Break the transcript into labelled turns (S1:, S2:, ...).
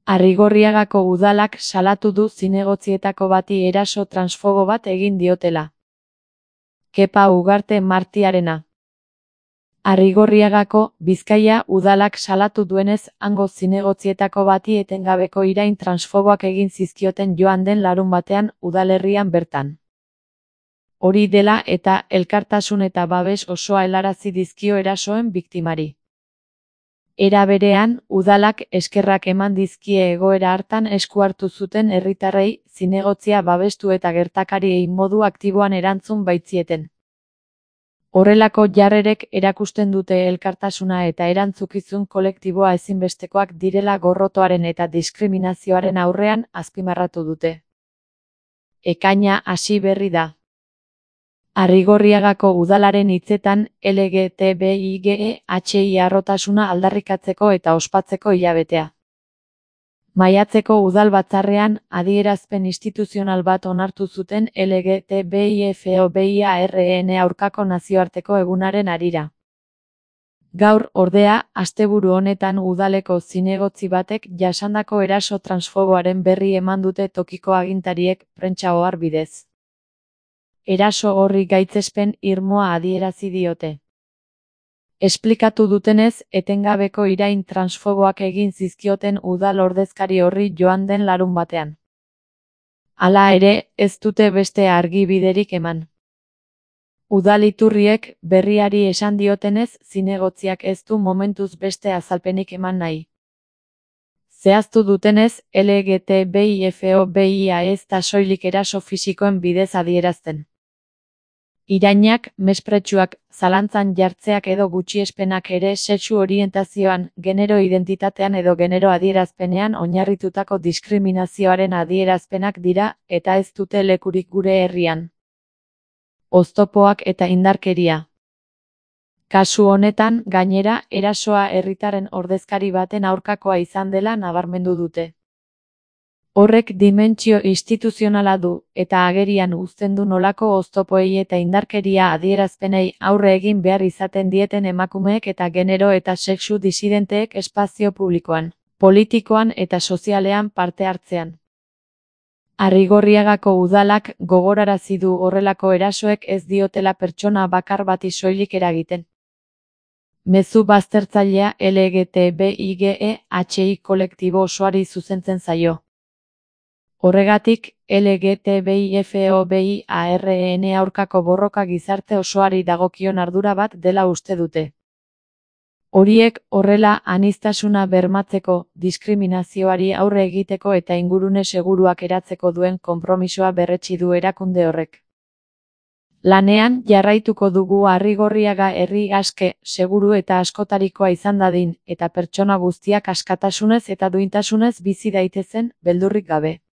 S1: Arrigorriagako udalak salatu du zinegotzietako bati eraso transfobo bat egin diotela. Kepa Ugarte Martiarena. Arrigorriagako, Bizkaia udalak salatu duenez, hango zinegotzietako bati etengabeko irain transfoboak egin zizkioten joan den larunbatean udalerrian bertan. Hori dela eta elkartasun eta babes osoa helarazi dizkio erasoen biktimari. Era berean, udalak eskerrak eman dizkie egoera hartan esku hartu zuten herritarrei zinegotzia babestu eta gertakariei modu aktiboan erantzun baitzieten. Horrelako jarrerek erakusten dute elkartasuna eta erantzukizun kolektiboa ezinbestekoak direla gorrotoaren eta diskriminazioaren aurrean azpimarratu dute. Ekaina hasi berri da. Arrigorriagako udalaren hitzetan LGTBIQHI harrotasuna aldarrikatzeko eta ospatzeko hilabetea. Maiatzeko udal batzarrean adierazpen instituzional bat onartu zuten LGTBIFOBIARN aurkako nazioarteko egunaren harira. Gaur, ordea, asteburu honetan udaleko zinegotzi batek jasandako eraso transfoboaren berri eman dute tokiko agintariek prentsa ohar bidez. Eraso horri gaitzespen irmoa adierazi diote. Esplikatu dutenez, etengabeko irain transfoboak egin zizkioten udal ordezkari horri joan den larunbatean. Hala ere, ez dute beste argibiderik eman. Udal iturriek berriari esan diotenez, zinegotziak ez du momentuz beste azalpenik eman nahi. Zehaztu dutenez, LGTBIFOBIA ez da soilik eraso fisikoen bidez adierazten. Irainak, mespretsuak, zalantzan jartzeak edo gutxiespenak ere sexu orientazioan, genero identitatean edo genero adierazpenean oinarritutako diskriminazioaren adierazpenak dira, eta ez dute lekurik gure herrian. Oztopoak eta indarkeria. Kasu honetan, gainera, erasoa herritarren ordezkari baten aurkakoa izan dela nabarmendu dute. Horrek dimentsio instituzionala du, eta agerian uzten du nolako oztopoei eta indarkeria adierazpenei aurre egin behar izaten dieten emakumeek eta genero eta sexu disidenteek espazio publikoan, politikoan eta sozialean parte hartzean. Arrigorriagako udalak gogorarazi du horrelako erasoek ez diotela pertsona bakar bati soilik eragiten. Mezu baztertzailea LGTBIQHI kolektibo osoari zuzentzen zaio. Horregatik, LGTBIFOBIARN aurkako borroka gizarte osoari dagokion ardura bat dela uste dute. Horiek, horrela, aniztasuna bermatzeko, diskriminazioari aurre egiteko eta ingurune seguruak eratzeko duen konpromisoa berretsi du erakunde horrek. Lanean, jarraituko dugu Arrigorriaga herri aske, seguru eta askotarikoa izan dadin, eta pertsona guztiak askatasunez eta duintasunez bizi daitezen, beldurrik gabe.